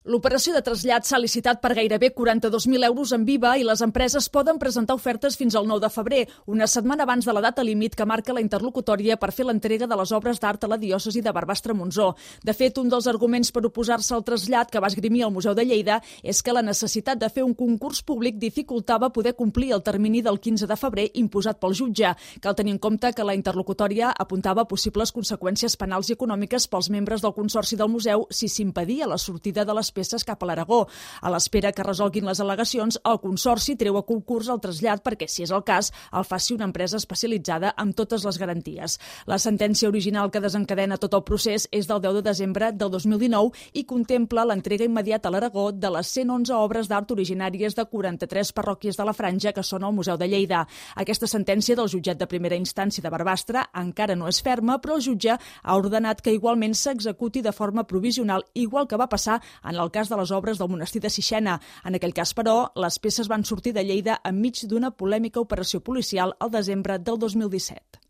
L'operació de trasllat s'ha licitat per gairebé 42.000 euros en Viva i les empreses poden presentar ofertes fins al 9 de febrer, una setmana abans de la data límit que marca la interlocutòria per fer l'entrega de les obres d'art a la diòcesi de Barbastre-Montsó. De fet, un dels arguments per oposar-se al trasllat que va esgrimir el Museu de Lleida és que la necessitat de fer un concurs públic dificultava poder complir el termini del 15 de febrer imposat pel jutge. Cal tenir en compte que la interlocutòria apuntava possibles conseqüències penals i econòmiques pels membres del Consorci del Museu si s'impedia la sortida de les peces cap a l'Aragó. A l'espera que resolguin les al·legacions, el Consorci treu a concurs el trasllat perquè, si és el cas, el faci una empresa especialitzada amb totes les garanties. La sentència original que desencadena tot el procés és del 10 de desembre del 2019 i contempla l'entrega immediata a l'Aragó de les 111 obres d'art originàries de 43 parròquies de la Franja que són al Museu de Lleida. Aquesta sentència del jutjat de primera instància de Barbastre encara no és ferma, però el jutge ha ordenat que igualment s'executi de forma provisional, igual que va passar en el cas de les obres del monestir de Sixena. En aquell cas, però, les peces van sortir de Lleida enmig d'una polèmica operació policial al desembre del 2017.